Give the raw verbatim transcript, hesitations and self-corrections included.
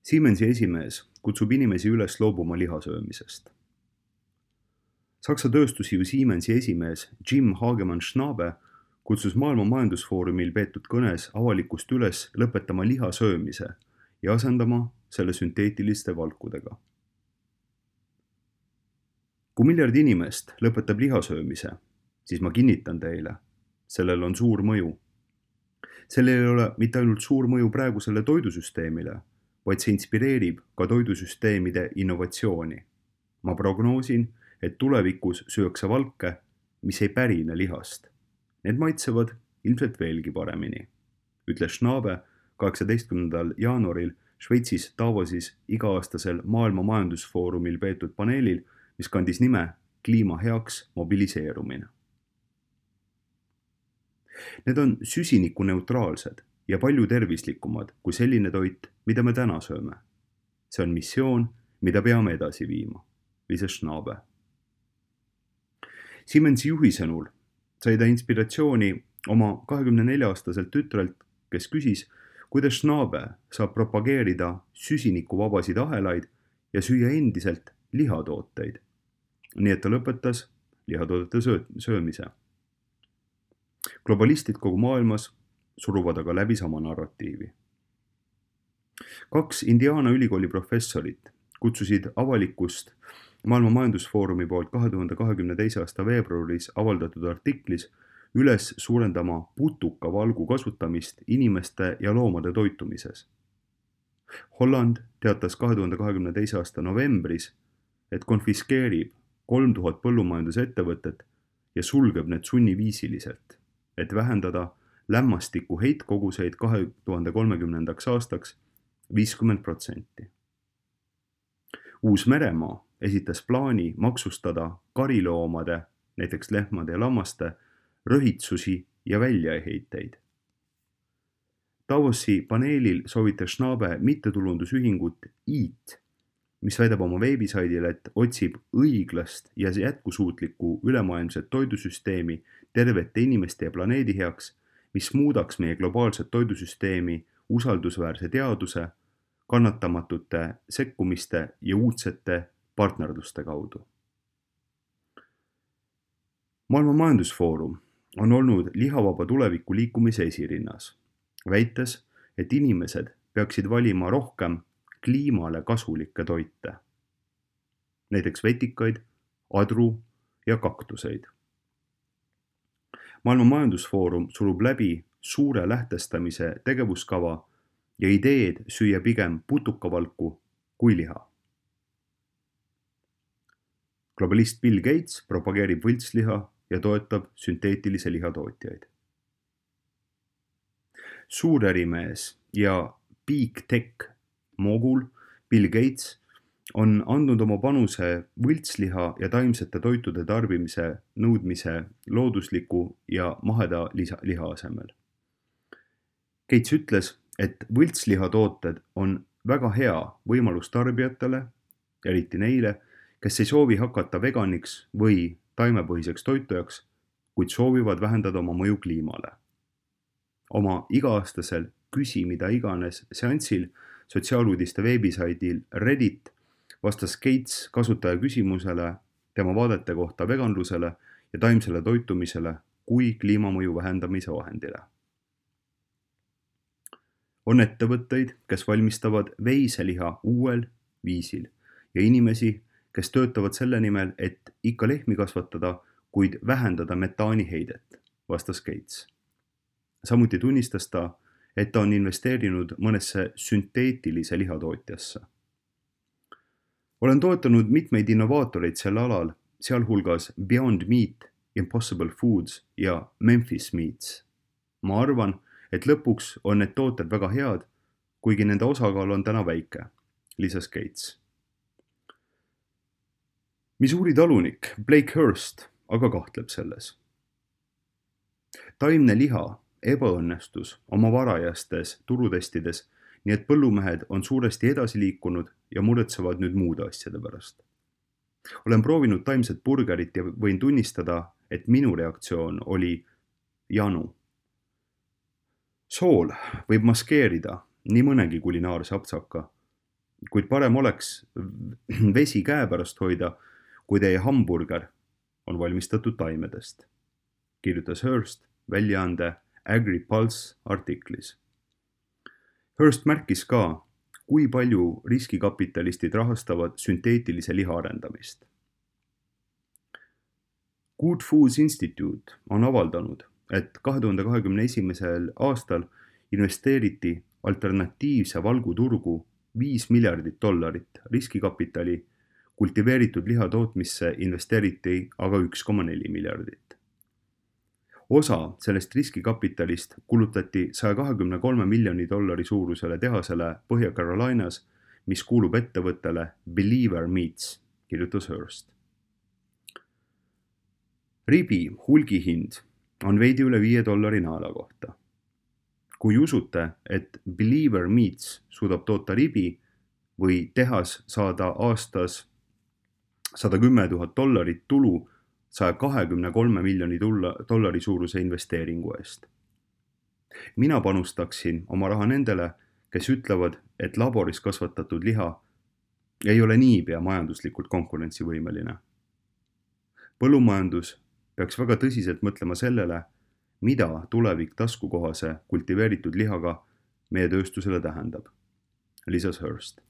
Siemensi esimees kutsub inimesi üles loobuma lihasöömisest. Saksa tööstusjuhi Siemensi esimees Jim Hagemann-Schnabe kutsus Maailma Majandusfoorumil peetud kõnes avalikkust üles lõpetama lihasöömise ja asendama selle sünteetiliste valkudega. Kui miljard inimest lõpetab lihasöömise, siis ma kinnitan teile, sellel on suur mõju. Sellel ei ole mitte ainult suur mõju praegusele toidusüsteemile, vaid see inspireerib ka toidusüsteemide innovatsiooni. Ma prognoosin, et tulevikus süüakse valke, mis ei pärine lihast. Need maitsevad ilmselt veelgi paremini, ütles Schnabe kaheksateistkümnendal jaanuaril Šveitsis Davosis iga-aastasel Maailma Majandusfoorumil peetud paneelil, mis kandis nime kliima heaks mobiliseerumine. Need on süsinikuneutraalsed ja palju tervislikumad kui selline toit, mida me täna sööme. See on missioon, mida peame edasi viima, lisas Schnabe. Siemensi juhi sõnul sai ta inspiratsiooni oma kahekümne nelja aastaselt tütrelt, kes küsis, kuidas Schnabe saab propageerida süsinikuvabasid ahelaid ja süüa endiselt lihatooteid. Nii et ta lõpetas lihatoodete söömise. Globalistid kogu maailmas suruvad aga läbi sama narratiivi. Kaks Indiana ülikooli professorit kutsusid avalikkust Maailma Majandusfoorumi poolt kahe tuhande kahekümne teise aasta veebruaris avaldatud artiklis üles suurendama putukavalgu kasutamist inimeste ja loomade toitumises. Holland teatas kahe tuhande kahekümne teise aasta novembris, et konfiskeerib kolm tuhat põllumajandusettevõtet ja sulgeb need sunniviisiliselt, et vähendada lämmastiku heitkoguseid kahe tuhande kolmekümnendaks aastaks viiskümmend protsenti. Uus-Meremaa esitas plaani maksustada kariloomade, näiteks lehmade ja lammaste, röhitsusi ja väljaheiteid. Davosi paneelil soovitas Schnabe mittetulundusühingut EAT, mis väidab oma veebisaidil, et otsib õiglast ja jätkusuutlikku ülemaailmset toidusüsteemi tervete inimeste ja planeedi heaks, mis muudaks meie globaalset toidusüsteemi usaldusväärse teaduse, kannatamatute sekkumiste ja uudsete partnerluste kaudu. Maailma Majandusfoorum on olnud lihavaba tuleviku liikumise esirinnas, väites, et inimesed peaksid valima rohkem kliimale kasulikke toite, näiteks vetikaid, adru ja kaktuseid. Maailma Majandusfoorum surub läbi suure lähtestamise tegevuskava ja ideed süüa pigem putukavalku kui liha. Globalist Bill Gates propageerib võltsliha ja toetab sünteetilise lihatootjaid. Suurärimees ja Big Tech mogul Bill Gates on andnud oma panuse võltsliha ja taimsete toitude tarbimise nõudmise loodusliku ja maheda liha asemel. Gates ütles, et võltslihatooted on väga hea võimalus tarbijatele, eriti neile, kes ei soovi hakata veganiks või taimepõhiseks toitujaks, kuid soovivad vähendada oma mõju kliimale. Oma iga-aastasel küsi mida iganes seansil sotsiaaluudiste veebisaidil Reddit vastas Gates kasutaja küsimusele tema vaadete kohta veganlusele ja taimsele toitumisele kui kliimamõju vähendamise vahendile. On ettevõtteid, kes valmistavad veiseliha uuel viisil ja inimesi, kes töötavad selle nimel, et ikka lehmi kasvatada, kuid vähendada metaaniheidet, vastas Gates. Samuti tunnistas ta, et ta on investeerinud mõnesse sünteetilise lihatootjasse. Olen toetanud mitmeid innovaatoreid sel alal, sealhulgas Beyond Meat, Impossible Foods ja Memphis Meats. Ma arvan, et lõpuks on need tooted väga head, kuigi nende osakaal on täna väike, lisas Gates. Missouri talunik Blake Hurst aga kahtleb selles. Taimne liha ebaõnnestus oma varajastes turutestides, nii et põllumehed on suuresti edasi liikunud ja muretsevad nüüd muude asjade pärast. Olen proovinud taimset burgerit ja võin tunnistada, et minu reaktsioon oli janu. Sool võib maskeerida nii mõnegi kulinaarse apsaka, kuid parem oleks vesi käepärast hoida, kui teie hamburger on valmistatud taimedest, kirjutas Hearst väljaande AgriPulse artiklis. Hearst märkis ka, kui palju riskikapitalistid rahastavad sünteetilise liha arendamist. Good Foods Institute on avaldanud, et kahe tuhande kahekümne esimesel aastal investeeriti alternatiivse valguturgu viis miljardit dollarit riskikapitali, kultiveeritud liha tootmisse investeeriti aga üks koma neli miljardit. Osa sellest riskikapitalist kulutati saja kahekümne kolme miljoni dollari suurusele tehasele Põhja-Carolinas, mis kuulub ettevõttele Believer Meats, kirjutas Hearst. Ribi hulgihind on veidi üle viie dollari naela kohta. Kui usute, et Believer Meats suudab toota ribi või tehas saada aastas sada kümme tuhat dollarit tulu saja kahekümne kolme miljoni dollari suuruse investeeringu eest. Mina panustaksin oma raha nendele, kes ütlevad, et laboris kasvatatud liha ei ole niipea majanduslikult konkurentsivõimeline. Põllumajandus peaks väga tõsiselt mõtlema sellele, mida tulevik taskukohase kultiveeritud lihaga meie tööstusele tähendab, lisas Hearst.